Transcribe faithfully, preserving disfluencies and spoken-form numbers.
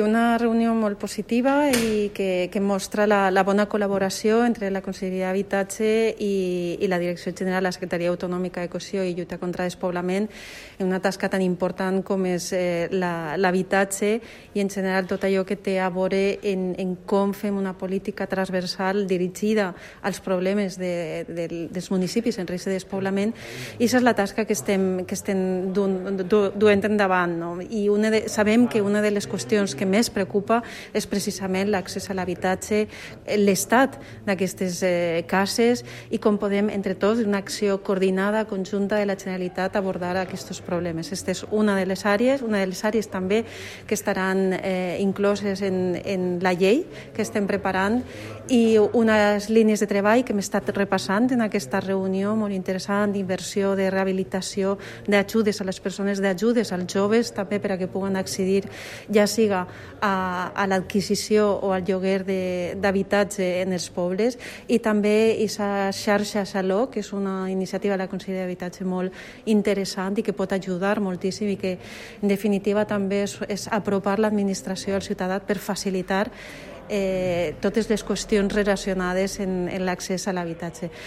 Una reunió molt positiva i que, que mostra la, la bona col·laboració entre la Conselleria d'Habitatge i, i la Direcció General, la Secretaria Autonòmica de Cohesió i Lluita contra el Despoblament en una tasca tan important com és eh, l'habitatge i en general tot allò que té a veure en, en com fem una política transversal dirigida als problemes de, de, dels municipis en risc de despoblament, i aquesta és la tasca que estem, que estem duent, duent endavant. No? I una de, sabem que una de les qüestions que més preocupa és precisament l'accés a l'habitatge, l'estat d'aquestes eh, cases i com podem, entre tots, una acció coordinada, conjunta de la Generalitat abordar aquests problemes. Aquesta és una de les àrees, una de les àrees també que estaran eh, incloses en, en la llei que estem preparant, i unes línies de treball que hem estat repassant en aquesta reunió molt interessant d'inversió, de rehabilitació, d'ajudes a les persones, d'ajudes als joves també per a que puguen accedir ja siga a, a l'adquisició o al lloguer d'habitatge en els pobles, i també aquesta xarxa Saló, que és una iniciativa de la Conselleria d'Habitatge molt interessant i que pot ajudar moltíssim i que en definitiva també és, és apropar l'administració al ciutadà per facilitar Eh, totes les qüestions relacionades en, en l'accés a l'habitatge.